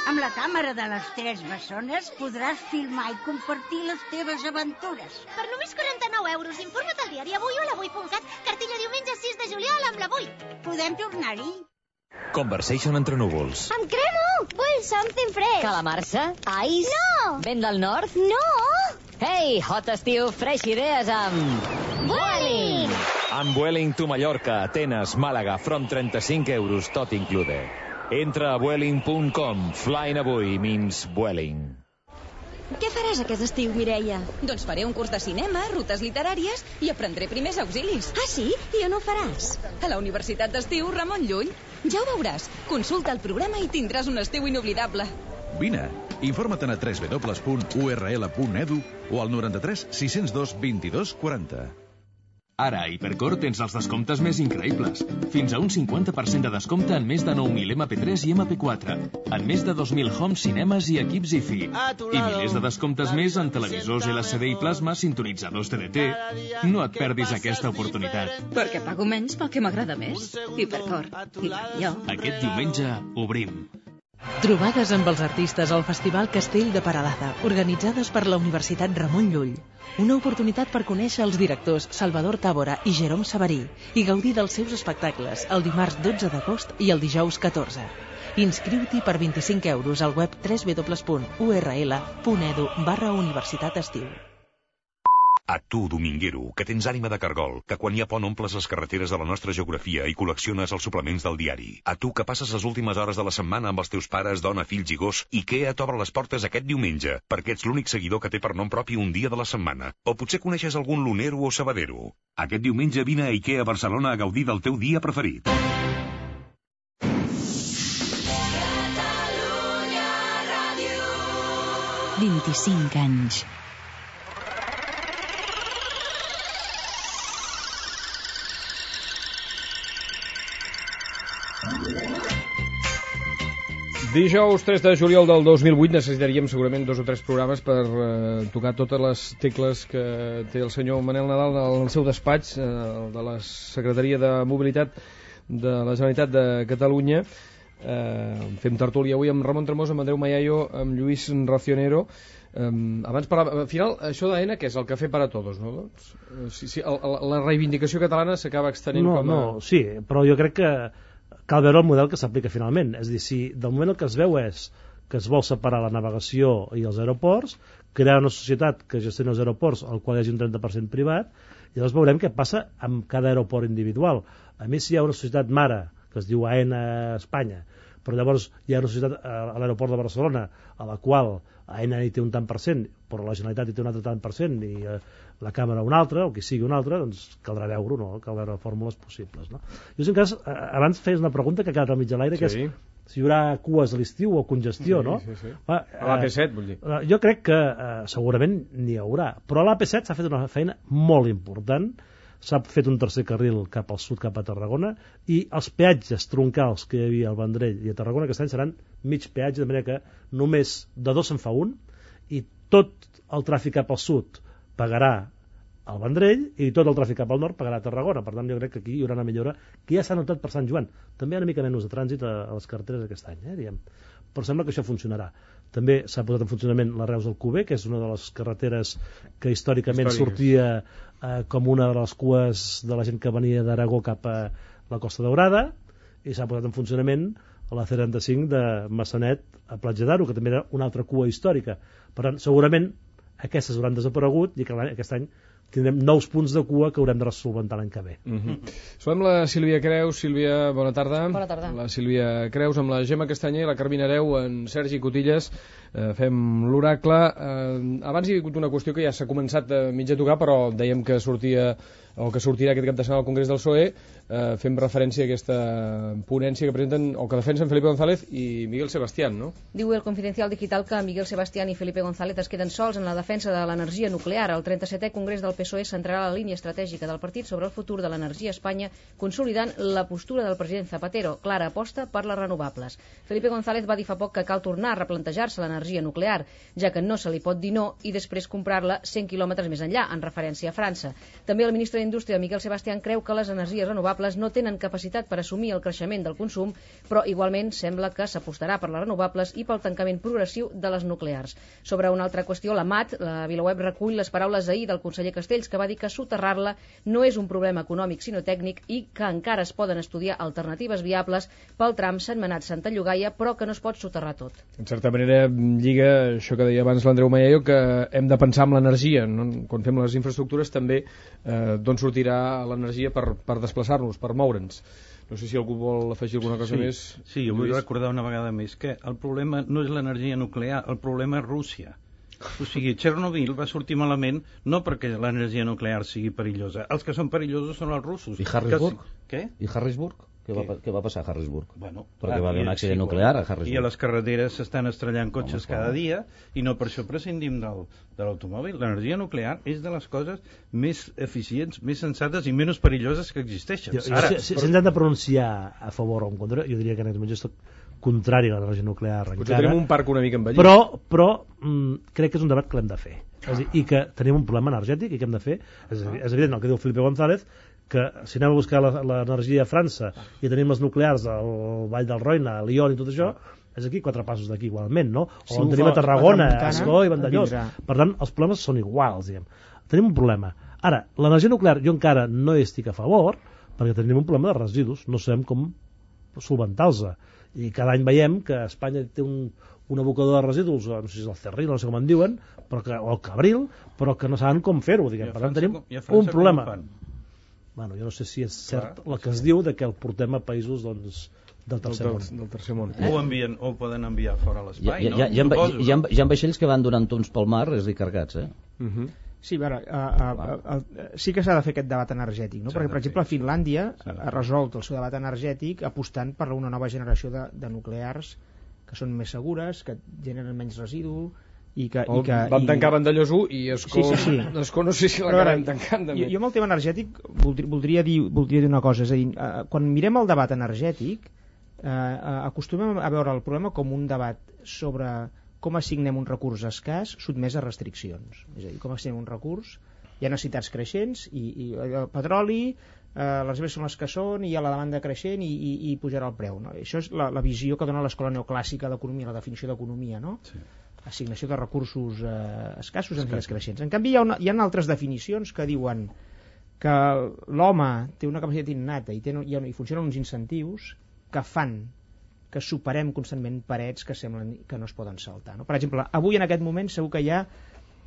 Amb la càmera de les 3 bessones podràs filmar i compartir les teves aventures. Per només 49 euros, informa't al diari Avui o a l'Avui.cat. Cartilla diumenge 6 de juliol amb l'Avui. Podem tornar-hi? Conversation entre núvols. Em cremo! Vull something fresh. Calamarsa? Ice? No! Vent del nord? No! Hey, hot estiu, fresh idees amb... Vueling! Amb Vueling to Mallorca, Atenes, Màlaga, from 35 euros, tot included. Entra a Vueling.com. Flying avui means Vueling. Què faràs aquest estiu, Mireia? Doncs faré un curs de cinema, rutes literàries i aprendré primers auxilis. Ah, sí? I on ho faràs? A la Universitat d'Estiu Ramon Llull. Ja ho veuràs. Consulta el programa i tindràs un estiu inoblidable. Vine, informa't a www.url.edu o al 93 602 22 40. Ara a Hipercor tens els descomptes més increïbles. Fins a un 50% de descompte en més de 9.000 MP3 i MP4, en més de 2.000 home cinemes i equips IFI, i milers de descomptes més en televisors LCD i plasma, sintonitzadors TDT. No et perdis aquesta oportunitat. Perquè pago menys pel que m'agrada més. Hipercor. I jo. Aquest diumenge obrim. Trobades amb els artistes al Festival Castell de Peralada, organitzades per la Universitat Ramon Llull. Una oportunitat per conèixer els directors Salvador Tàbora i Jerome Sabarí i gaudir dels seus espectacles el dimarts 12 d'agost i el dijous 14. Inscriu-t'hi per 25 euros al web www.url.edu/Universitat Estiu. A tu, dominguero, que tens ànima de cargol, que quan hi ha pont omples les carreteres de la nostra geografia i col·lecciones els suplements del diari. A tu, que passes les últimes hores de la setmana amb els teus pares, dona, fills i gos, IKEA t'obre les portes aquest diumenge, perquè ets l'únic seguidor que té per nom propi un dia de la setmana. O potser coneixes algun lunero o sabadero. Aquest diumenge vine a IKEA Barcelona a gaudir del teu dia preferit. 25 anys. Dijous 3 de juliol del 2008 necessitaríem segurament 2 o 3 programes per tocar totes les tecles que té el senyor Manel Nadal al seu despatx de la Secretaria de Mobilitat de la Generalitat de Catalunya. Fem tertúlia avui amb Ramon Tremós, amb Andreu Mayayo, amb Lluís Racionero. Abans parlava, al final això d'AENA que és el cafè para todos, no? La reivindicació catalana s'acaba extenent sí, però jo crec que cal veure el model que s'aplica finalment. És a dir, si del moment el que es veu és que es vol separar la navegació i els aeroports, crear una societat que gestioni els aeroports al qual hi hagi un 30% privat, i llavors veurem què passa amb cada aeroport individual. A més, si hi ha una societat mare que es diu AENA Espanya, però llavors hi ha una societat a l'aeroport de Barcelona a la qual AENA hi té un tant per cent, però la Generalitat hi té un altre tant per cent i la Càmera un altre, o qui sigui un altre, doncs caldrà veure-ho, no? Cal veure fórmules possibles, no? Jo, en cas, abans feies una pregunta que ha quedat al mig de l'aire, que és si hi haurà cues a l'estiu o congestió, no? A l'AP7, vull dir. Jo crec que segurament n'hi haurà, però a l'AP7 s'ha fet una feina molt important. S'ha fet un tercer carril cap al sud, cap a Tarragona, i els peatges troncals que hi havia al Vendrell i a Tarragona aquest any seran mig peatge, de manera que només de 2 se'n fa un, i tot el tràfic cap al sud pagarà al Vendrell i tot el tràfic cap al nord pagarà a Tarragona. Per tant, jo crec que aquí hi haurà una millora que ja s'ha notat per Sant Joan. També hi ha una mica menys de trànsit a les carreteres aquest any, diguem. Però sembla que això funcionarà. També s'ha posat en funcionament la Reus del Cuber, que és una de les carreteres que històricament sortia com una de les cues de la gent que venia d'Aragó cap a la Costa Daurada, i s'ha posat en funcionament la C35 de Massanet a Platja d'Aro, que també era una altra cua històrica. Per tant, segurament aquestes hauran desaparegut i que aquest any tindrem nous punts de cua que haurem de resolventar l'any que ve. Som la Sílvia Creus. Sílvia, bona tarda. Bona tarda. La Sílvia Creus amb la Gemma Castanyer i la Carmina Hereu, en Sergi Cotilles. Fem l'oracle. Abans hi ha hagut una qüestió que ja s'ha començat a mitja tocar, però dèiem que sortia o que sortirà aquest cap de setmana al Congrés del PSOE. Fem referència a aquesta ponència que presenten o que defensen Felipe González i Miguel Sebastián, no? Diu el Confidencial Digital que Miguel Sebastián i Felipe González es queden sols en la defensa de l'energia nuclear. El 37è Congrés del PSOE centrarà la línia estratègica del partit sobre el futur de l'energia a Espanya, consolidant la postura del president Zapatero, clara aposta per les renovables. Felipe González va dir fa poc que cal tornar a replantejar-se l'energia nuclear, ja que no se li pot dir no i després comprar-la 100 quilòmetres més enllà, en referència a França. També el ministre d'Indústria, Miguel Sebastián, creu que les energies renovables no tenen capacitat per assumir el creixement del consum, però igualment sembla que s'apostarà per les renovables i pel tancament progressiu de les nuclears. Sobre una altra qüestió, la MAT, la VilaWeb, recull les paraules ahir del conseller Castells, que va dir que soterrar-la no és un problema econòmic sinó tècnic i que encara es poden estudiar alternatives viables pel tram Sentmenat-Santa Llogaia, però que no es pot soterrar tot. En certa manera lliga això que deia abans l'Andreu Mayayo, que hem de pensar en l'energia, no? Quan fem les infraestructures també d'on sortirà l'energia per desplaçar-nos, per moure'ns. No sé si algú vol afegir alguna cosa més. Sí, jo vull recordar una vegada més que el problema no és l'energia nuclear, el problema és Rússia. O sigui, Chernobyl va sortir malament no perquè l'energia nuclear sigui perillosa. Els que són perillosos són els russos. I Harrisburg? Què? I Harrisburg? Què va passar a Harrisburg? Bueno, perquè va haver un accident nuclear a Harrisburg. I a les carreteres s'estan estrellant cotxes cada dia i no per això prescindim de l'automòbil. L'energia nuclear és de les coses més eficients, més sensates i menys perilloses que existeixen. Si ens hem de pronunciar a favor o en contra, jo diria que en aquest moment jo soc contrari a l'energia nuclear encara. Potser tenim un parc una mica envellit. Però crec que és un debat que l'hem de fer. És a dir, i que tenim un problema energètic i que hem de fer. És evident el que diu Felipe González, que si anem a buscar l'energia a França i tenim les nuclears al Vall del Roine, a Lyon i tot això, és aquí 4 passos d'aquí igualment, no? O on tenim a Tarragona, a Ascó i Vandellós. Per tant, els problemes són iguals, diguem. Tenim un problema. Ara, l'energia nuclear jo encara no hi estic a favor, perquè tenim un problema de residus, no sabem com solventar-los. I cada any veiem que Espanya té un abocador de residus, no sé si és el Cerril, no sé com en diuen, o el Cabril, però que no saben com fer-ho, diguem. Per tant, tenim un problema. Bueno, jo no sé si és cert el que es diu de que el portem a països del tercer món. O poden enviar fora a l'espai, no? Hi ha vaixells que van donant tons pel mar, és a dir, cargats, Sí, a veure, sí que s'ha de fer aquest debat energètic, no? Perquè, per exemple, Finlàndia ha resolt el seu debat energètic apostant per una nova generació de nuclears que són més segures, que generen menys residu, vam tancar Vandellós 1 i Escó no sé si l'acabem tancant també. Jo amb el tema energètic voldria dir una cosa, és a dir, quan mirem el debat energètic acostumem a veure el problema com un debat sobre com assignem un recurs escàs sotmès a restriccions. És a dir, com assignem un recurs, hi ha necessitats creixents i el petroli, les reserves són les que són i hi ha la demanda creixent i pujarà el preu, no? Això és la visió que dona l'escola neoclàssica d'economia, la definició d'economia, no? Sí. Assignació de recursos escassos en necessitats creixents. En canvi hi ha altres definicions que diuen que l'home té una capacitat innata i funcionen uns incentius que fan que superem constantment parets que semblen que no es poden saltar, no? Per exemple, avui en aquest moment segur que hi ha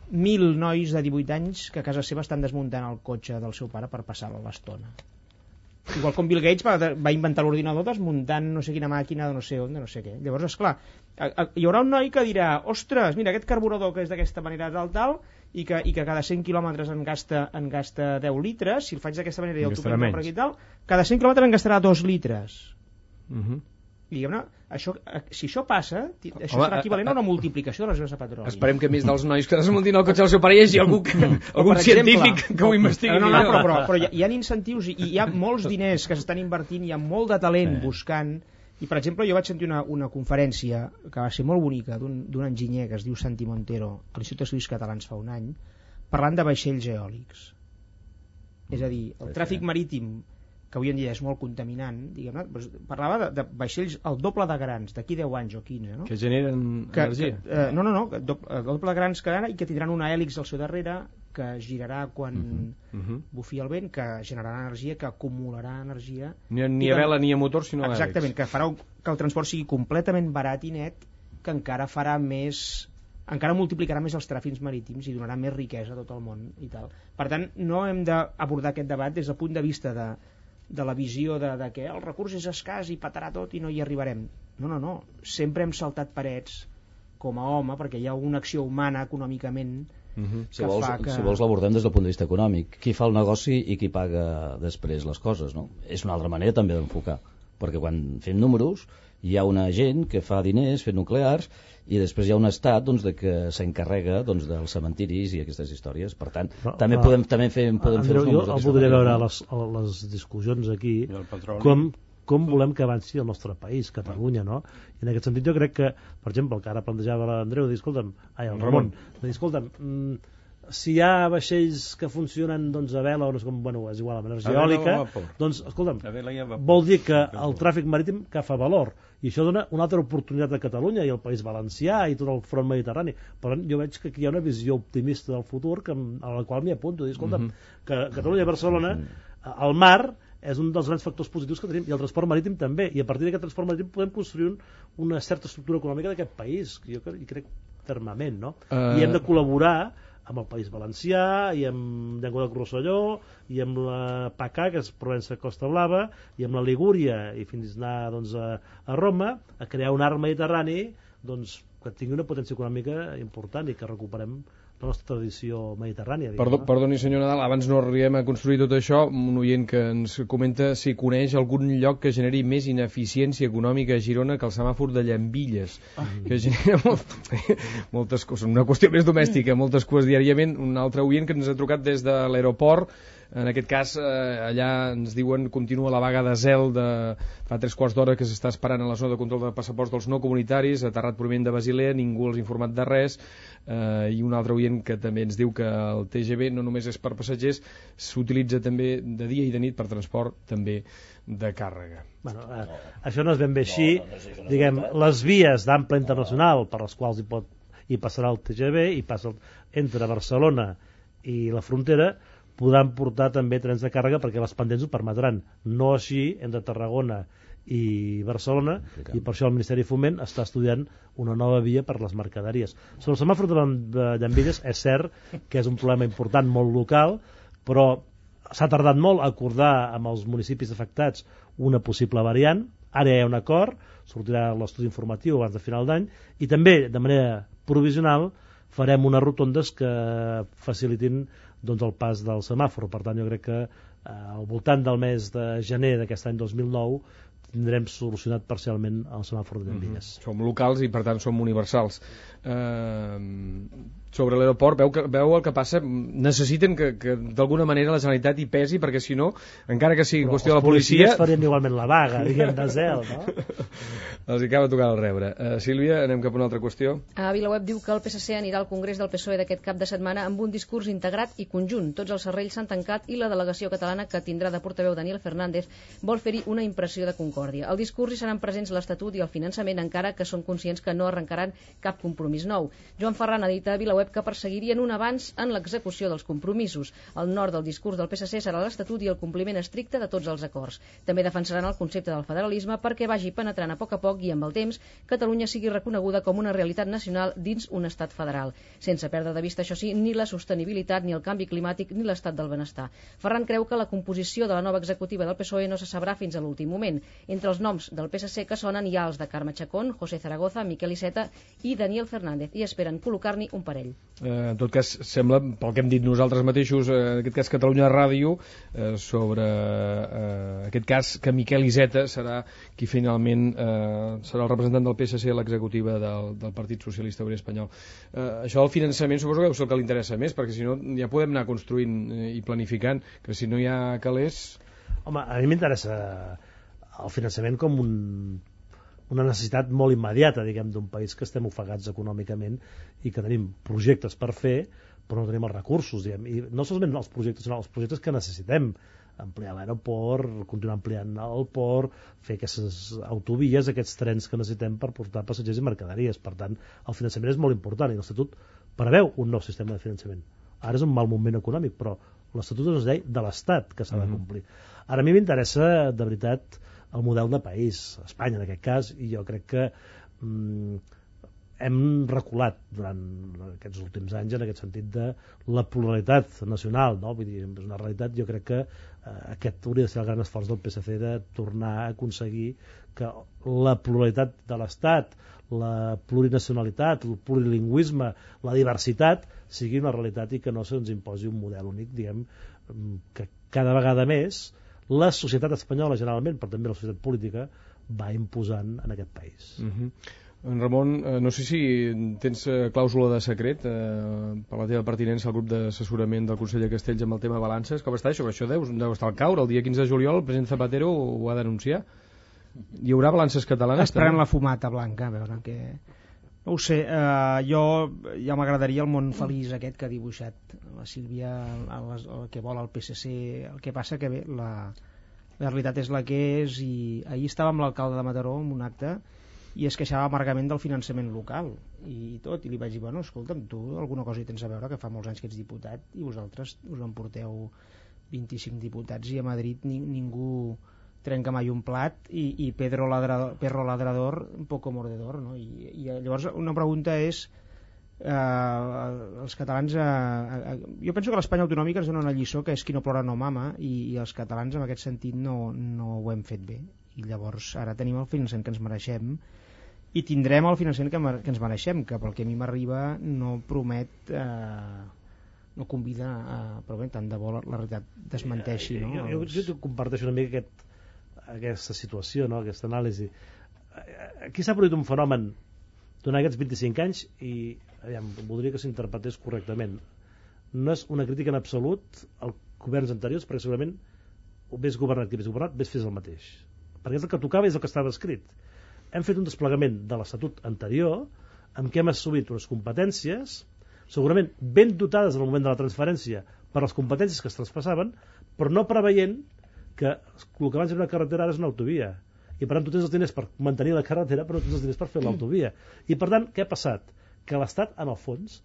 1.000 nois de 18 anys que a casa seva estan desmuntant el cotxe del seu pare per passar l'estona. Igual com Bill Gates va inventar l'ordinador desmuntant no sé quina màquina de no sé on, de no sé què. Llavors, esclar, hi haurà un noi que dirà, ostres, mira, aquest carburador que és d'aquesta manera tal, i que cada 100 quilòmetres en gasta 10 litres, si el faig d'aquesta manera i el topem per aquí tal, cada 100 quilòmetres en gastarà 2 litres. Diguem-ne, si això passa, això serà equivalent a una multiplicació de les reserves de petroli. Esperem que més dels nois que desmuntin el cotxe del seu pare hi hagi algun científic que ho investigui. Però hi ha incentius i hi ha molts diners que s'estan invertint, hi ha molt de talent buscant, i per exemple jo vaig sentir una conferència que va ser molt bonica d'un enginyer que es diu Santi Montero a l'Institut d'Estudis Catalans fa un any, parlant de vaixells eòlics. És a dir, el tràfic marítim, que avui en dia és molt contaminant, diguem-ne, parlava de vaixells el doble de grans, d'aquí 10 anys o 15, no? Que generen energia. No, el doble de grans que ara, i que tindran una hèlix al seu darrere que girarà quan bufi el vent, que generarà energia, que acumularà energia. Ni a vela ni a motor, sinó a hèlix. Exactament, que farà que el transport sigui completament barat i net, que encara farà més... encara multiplicarà més els tràfics marítims i donarà més riquesa a tot el món i tal. Per tant, no hem d'abordar aquest debat des del punt de vista de la visió de que el recurs és escàs i patarà tot i no hi arribarem. No. Sempre hem saltat parets com a home perquè hi ha una acció humana econòmicament Si vols l'abordem des del punt de vista econòmic. Qui fa el negoci i qui paga després les coses, no? És una altra manera també d'enfocar, perquè quan fem números hi ha una gent que fa diners fent nuclears i després hi ha un estat que s'encarrega dels cementiris i aquestes històries. Per tant, també podem fer els números. Jo voldria veure les discussions aquí com volem que avanci el nostre país, Catalunya, no? I en aquest sentit jo crec que, per exemple, el que ara plantejava l'Andreu, el Ramon, escolta'm, si hi ha vaixells que funcionen a vela o no sé com, és igual, amb energia eòlica, doncs, escolta'm, vol dir que el tràfic marítim que fa valor, i això dona una altra oportunitat a Catalunya i al País Valencià i tot el front mediterrani. Per tant, jo veig que aquí hi ha una visió optimista del futur a la qual m'hi apunto. Escolta'm, que Catalunya i Barcelona, el mar és un dels grans factors positius que tenim, i el transport marítim també, i a partir d'aquest transport marítim podem construir una certa estructura econòmica d'aquest país, que jo crec fermament, no? I hem de col·laborar amb el País Valencià, i amb Llenguadoc Rosselló, i amb la PACA, que és Provença Costa Blava, i amb la Ligúria, i fins a anar a Roma, a crear un arc mediterrani que tingui una potència econòmica important i que recuperem la nostra tradició mediterrània. Perdoni, senyor Nadal, abans no arribem a construir tot això, un oient que ens comenta si coneix algun lloc que generi més ineficiència econòmica a Girona que el semàfor de Llambilles, que genera moltes coses, una qüestió més domèstica, moltes coses diàriament. Un altre oient que ens ha trucat des de l'aeroport, en aquest cas allà ens diuen continua la vaga de zel de fa 3/4 d'hora que s'està esperant a la zona de control de passaports dels no comunitaris, aterrat provinent de Basilea, ningú els ha informat de res, i un altre oient que també ens diu que el TGV no només és per passatgers, s'utilitza també de dia i de nit per transport també de càrrega. Això no és ben bé així. Diguem, les vies d'ample internacional per les quals hi passarà el TGV i passa entre Barcelona i la frontera podran portar també trens de càrrega perquè les pendents ho permetran. No així entre Tarragona i Barcelona, i per això el Ministeri de Foment està estudiant una nova via per les mercaderies. Sobre el semàfor de Llambilles és cert que és un problema important, molt local, però s'ha tardat molt a acordar amb els municipis afectats una possible variant. Ara hi ha un acord, sortirà l'estudi informatiu abans de final d'any, i també de manera provisional farem unes rotondes que facilitin el pas del semàfor. Per tant, jo crec que al voltant del mes de gener d'aquest any 2009 tindrem solucionat parcialment el semàfor de Llambilles. Som locals i per tant som universals. sobre l'aeroport, veu el que passa, necessiten que d'alguna manera la Generalitat hi pesi, perquè si no, encara que sigui qüestió de la policia... Els policies farien igualment la vaga, diguem, de zel, no? Els acaba tocant el rebre. Sílvia, anem cap a una altra qüestió. A VilaWeb diu que el PSC anirà al Congrés del PSOE d'aquest cap de setmana amb un discurs integrat i conjunt. Tots els serrells s'han tancat i la delegació catalana, que tindrà de portaveu Daniel Fernández, vol fer-hi una impressió de concòrdia. Al discurs hi seran presents l'Estatut i el finançament, encara que són conscients que no arrencaran cap compromís nou. Joan Ferran ha dit a VilaWeb que perseguirien un avanç en l'execució dels compromisos. El nord del discurs del PSC serà l'Estatut i el compliment estricte de tots els acords. També defensaran el concepte del federalisme perquè vagi penetrant a poc i amb el temps Catalunya sigui reconeguda com una realitat nacional dins un estat federal, sense perdre de vista, això sí, ni la sostenibilitat, ni el canvi climàtic, ni l'estat del benestar. Ferran creu que la composició de la nova executiva del PSOE no se sabrà fins a l'últim moment. Entre els noms del PSC que sonen hi ha els de Carme Chacón, José Zaragoza, Miquel Iceta i Daniel Fernández, i esperen col·locar-n'hi un parell. En tot cas, sembla, pel que hem dit nosaltres mateixos, en aquest cas Catalunya Ràdio, sobre aquest cas que Miquel Iceta serà qui finalment serà el representant del PSC a l'executiva del Partit Socialista Obrer Espanyol. Això del finançament suposo que és el que li interessa més, perquè si no ja podem anar construint i planificant, que si no hi ha calés... Home, a mi m'interessa el finançament com una necessitat molt immediata, diguem, d'un país que estem ofegats econòmicament i que tenim projectes per fer, però no tenim els recursos, diguem, i no solament els projectes, sinó els projectes que necessitem, ampliar l'aeroport, continuar ampliant el port, fer aquestes autovies, aquests trens que necessitem per portar passatgers i mercaderies. Per tant, el finançament és molt important i l'Estatut preveu un nou sistema de finançament. Ara és un mal moment econòmic, però l'Estatut és una llei de l'Estat que s'ha de complir. Ara a mi m'interessa, de veritat, el model de país, Espanya en aquest cas, i jo crec que hem reculat durant aquests últims anys en aquest sentit de la pluralitat nacional, no? Vull dir, és una realitat. Jo crec que aquest hauria de ser el gran esforç del PSC, de tornar a aconseguir que la pluralitat de l'Estat, la plurinacionalitat, el plurilingüisme, la diversitat sigui una realitat i que no se'ns imposi un model únic, diguem, que cada vegada més la societat espanyola generalment, però també la societat política, va imposant en aquest país. En Ramon, no sé si tens clàusula de secret per la teva pertinença al grup d'assessorament del Consell de Castells amb el tema balances. Com està això? Això deu estar al caure. El dia 15 de juliol el president Zapatero ho va denunciar. Hi haurà balances catalanes? Esperem la fumata blanca, a veure què... No ho sé, jo ja m'agradaria el món feliç aquest que ha dibuixat la Sílvia, el que vol el PSC. El que passa que bé, la realitat és la que és, i ahir estava amb l'alcalde de Mataró en un acte i es queixava amargament del finançament local i tot, i li vaig dir, bueno, escolta'm, tu alguna cosa hi tens a veure, que fa molts anys que ets diputat i vosaltres us en porteu 25 diputats i a Madrid ningú trenca mai un plat i perro ladrador un poco mordedor, no? I llavors una pregunta és els catalans jo penso que l'Espanya autonòmica ens dona una lliçó que és qui no plora no mama, i els catalans en aquest sentit no ho hem fet bé, i llavors ara tenim el finançament que ens mereixem i tindrem el finançament que ens mereixem, que pel que a mi m'arriba no promet no convida però bé, tant de bo la realitat desmenteixi, no? Jo comparteixo una mica aquesta situació, no? Aquesta anàlisi. Aquí s'ha produït un fenomen durant aquests 25 anys i voldria que s'interpretés correctament. No és una crítica en absolut als governs anteriors, perquè segurament vés governat qui vés governat, vés fes el mateix, perquè és el que tocava i és el que estava escrit. Hem fet un desplegament de l'Estatut anterior en què hem assumit unes competències segurament ben dotades en el moment de la transferència per les competències que es traspassaven, però no preveient que el que abans era una carretera ara és una autovia, i per tant tu tens els diners per mantenir la carretera però no tens els diners per fer l'autovia, i per tant què ha passat? Que l'Estat en el fons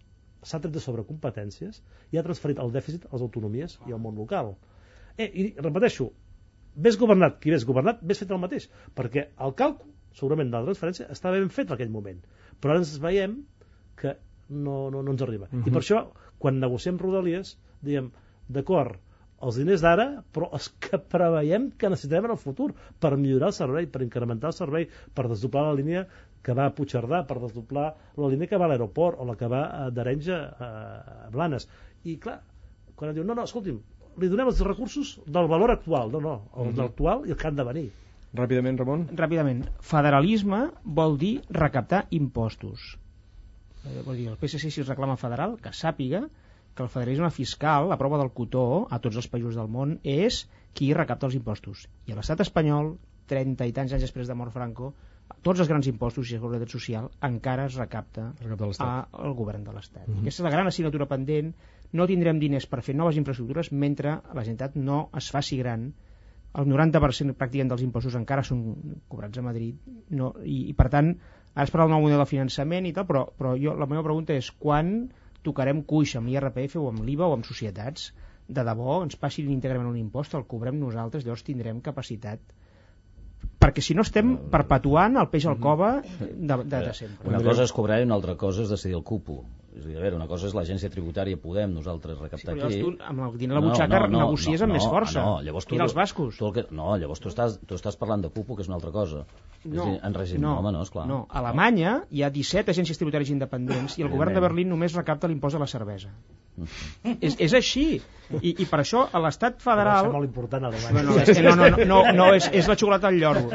s'ha tret de sobre competències i ha transferit el dèficit a les autonomies i al món local. I repeteixo, vés governat qui vés governat, vés fet el mateix, perquè el càlcul segurament de la transferència estava ben fet en aquell moment, però ara ens veiem que no ens arriba. I per això, quan negociem Rodalies, diem, d'acord, els diners d'ara, però els que preveiem que necessitem en el futur per millorar el servei, per incrementar el servei, per desdoblar la línia que va a Puigcerdà, per desdoblar la línia que va a l'aeroport o la que va d'Arenys a Blanes. I clar, quan em diuen, no, escolti'm, li donem els recursos del valor actual, no, el l'actual i el que han de venir. Ràpidament, Ramon. Ràpidament. Federalisme vol dir recaptar impostos. Vol dir, el PSC, si es reclama federal, que sàpiga que el federalisme fiscal, la prova del cotó a tots els països del món, és qui recapta els impostos. I a l'estat espanyol, 30 i tants anys després de mort Franco, tots els grans impostos i seguretat social encara es recapta al govern de l'Estat. Aquesta és la gran assignatura pendent. No tindrem diners per fer noves infraestructures mentre la Generalitat no es faci gran. El 90% pràcticament dels impostos encara són cobrats a Madrid, i per tant ara es parla del nou model de finançament i tal, però la meva pregunta és quan tocarem cuix amb l'IRPF o amb l'IVA o amb societats, de debò ens passin íntegrament un impost, el cobrem nosaltres, llavors tindrem capacitat, perquè si no estem perpetuant el peix al cova de sempre. Una cosa és cobrar i una altra cosa és decidir el cupo. És a dir, a veure, una cosa és l'agència tributària, podem nosaltres recaptar aquí. Tu amb el diner a la butxaca negocies amb més força. Llavors i els bascos. Llavors tu estàs parlant de cupo, que és una altra cosa. En règim, home, no, esclar. No, a Alemanya hi ha 17 agències tributàries independents i el govern de Berlín només recapta l'impost de la cervesa. És així. I per això a l'estat federal... És molt important a Alemanya. No, és la xocolata al lloro.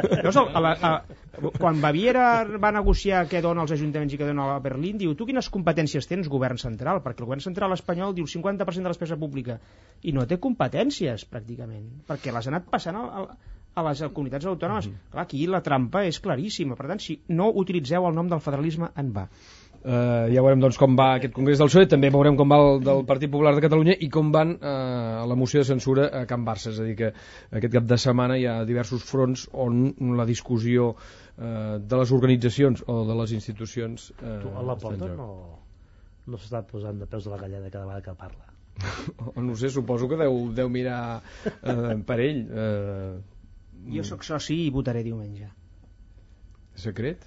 Quan Baviera va negociar què dona als ajuntaments i què dona a Berlín, diu, tu quines competències tens, govern central? Perquè el govern central espanyol diu el 50% de la despesa pública i no té competències, pràcticament, perquè les ha anat passant a les comunitats autònomes. Clar, aquí la trampa és claríssima. Per tant, si no utilitzeu el nom del federalisme, en va. Ja veurem doncs com va aquest congrés del PSOE, també veurem com va el del Partit Popular de Catalunya i com van la moció de censura a Can Barça. És a dir, que aquest cap de setmana hi ha diversos fronts on la discussió de les organitzacions o de les institucions a la porta no s'està posant de peus de la galleda cada vegada que parla. No sé, suposo que deu mirar per ell. Jo sóc soci i votaré diumenge. Secret?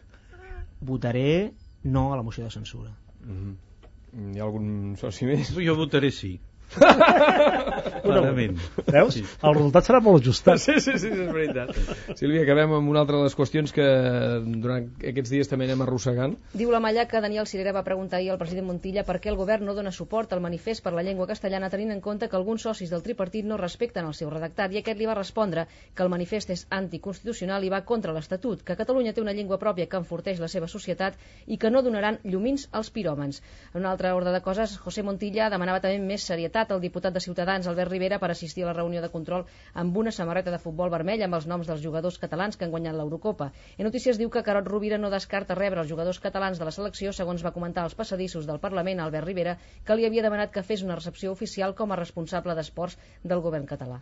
Votaré no a la moció de censura. Hi ha algun soci més? Jo votaré sí. Veus? El resultat serà molt ajustat. Sí, és veritat. Sílvia, acabem amb una altra de les qüestions que durant aquests dies també anem arrossegant. Diu la Malla que Daniel Sirera va preguntar ahir al president Montilla per què el govern no dona suport al manifest per la llengua castellana, tenint en compte que alguns socis del tripartit no respecten el seu redactat, i aquest li va respondre que el manifest és anticonstitucional i va contra l'Estatut, que Catalunya té una llengua pròpia que enforteix la seva societat i que no donaran llumins als piròmans. En un altre ordre de coses, José Montilla demanava també més serietat al diputat de Ciutadans, Albert Rivera, per assistir a la reunió de control amb una samarreta de futbol vermell amb els noms dels jugadors catalans que han guanyat l'Eurocopa. En Notícies diu que Carod Rovira no descarta rebre els jugadors catalans de la selecció, segons va comentar als passadissos del Parlament Albert Rivera, que li havia demanat que fes una recepció oficial com a responsable d'esports del govern català.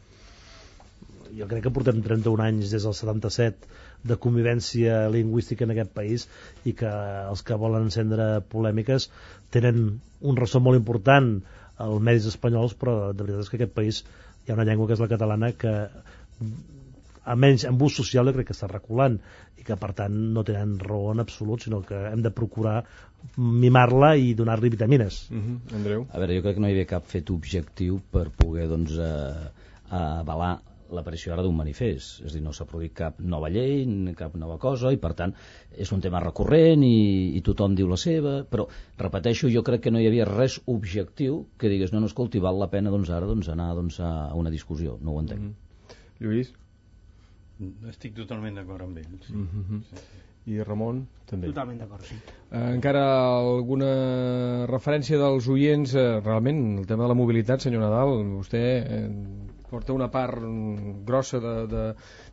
Jo crec que portem 31 anys des del 77 de convivència lingüística en aquest país i que els que volen encendre polèmiques tenen un ressò molt important als medis espanyols, però de veritat és que aquest país hi ha una llengua que és la catalana que almenys en ús social jo crec que està reculant i que per tant no tenen raó en absolut, sinó que hem de procurar mimar-la i donar-li vitamines. Andreu? A veure, jo crec que no hi havia cap fet objectiu per poder avalar l'aparició ara d'un manifest, és a dir, no s'ha produït cap nova llei, cap nova cosa, i per tant és un tema recurrent i tothom diu la seva, però repeteixo, jo crec que no hi havia res objectiu que digués, no, escolti, val la pena ara anar a una discussió, no ho entenc. Lluís? Estic totalment d'acord amb ell. Sí. I Ramon també. Totalment d'acord, sí. Encara alguna referència dels oients, realment, el tema de la mobilitat, senyor Nadal, vostè porta una part grossa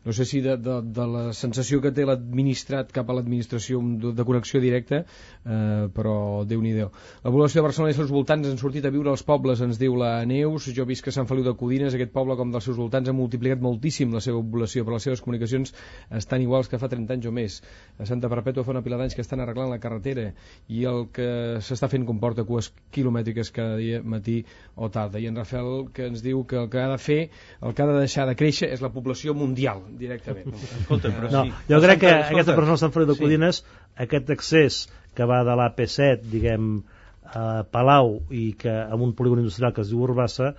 no sé si de la sensació que té l'administrat cap a l'administració de connexió directa, però Déu-n'hi-do. La població de Barcelona i els seus voltants han sortit a viure als pobles, ens diu la Neus. Jo he vist que Sant Feliu de Codines, aquest poble com dels seus voltants, ha multiplicat moltíssim la seva població, però les seves comunicacions estan iguals que fa 30 anys o més. A Santa Perpètua fa una pila d'anys que estan arreglant la carretera i el que s'està fent comporta cues quilomètriques cada dia, matí o tarda. I en Rafael que ens diu que el que ha de fer, el que ha de deixar de créixer és la població mundial, directament. Escolta, però no, jo crec que aquesta persona de Sant Feliu de Codines, aquest accés que va de l'AP7, diguem, a Palau i que amb un polígon industrial que es diu Urbassa,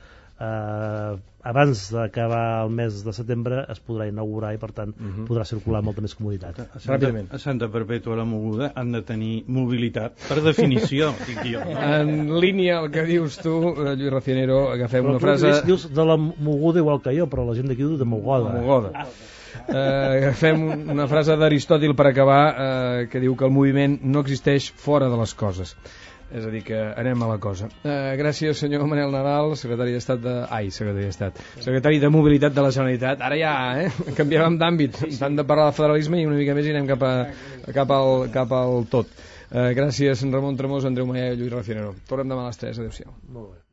abans d'acabar el mes de setembre es podrà inaugurar i per tant podrà circular amb molta més comoditat. A Santa Perpètua la Moguda han de tenir mobilitat per definició, dic jo. En línia el que dius tu, Lluís Racianero, agafem però una frase... Dius de la Moguda igual que jo, però la gent d'aquí diu de Mogoda. Fem una frase d'Aristòtil per acabar, que diu que el moviment no existeix fora de les coses. És a dir, que anem a la cosa. Gràcies, senyor Manel Nadal, secretari de Mobilitat de la Generalitat. Ara ja, canviarem d'àmbit. Tant de parlar de federalisme i una mica més i anem cap al tot. Gràcies, Ramon Tremós, Andreu Maia i Lluís Rafinero. Tornem demà a les 3. Adéu-siau. Molt bé.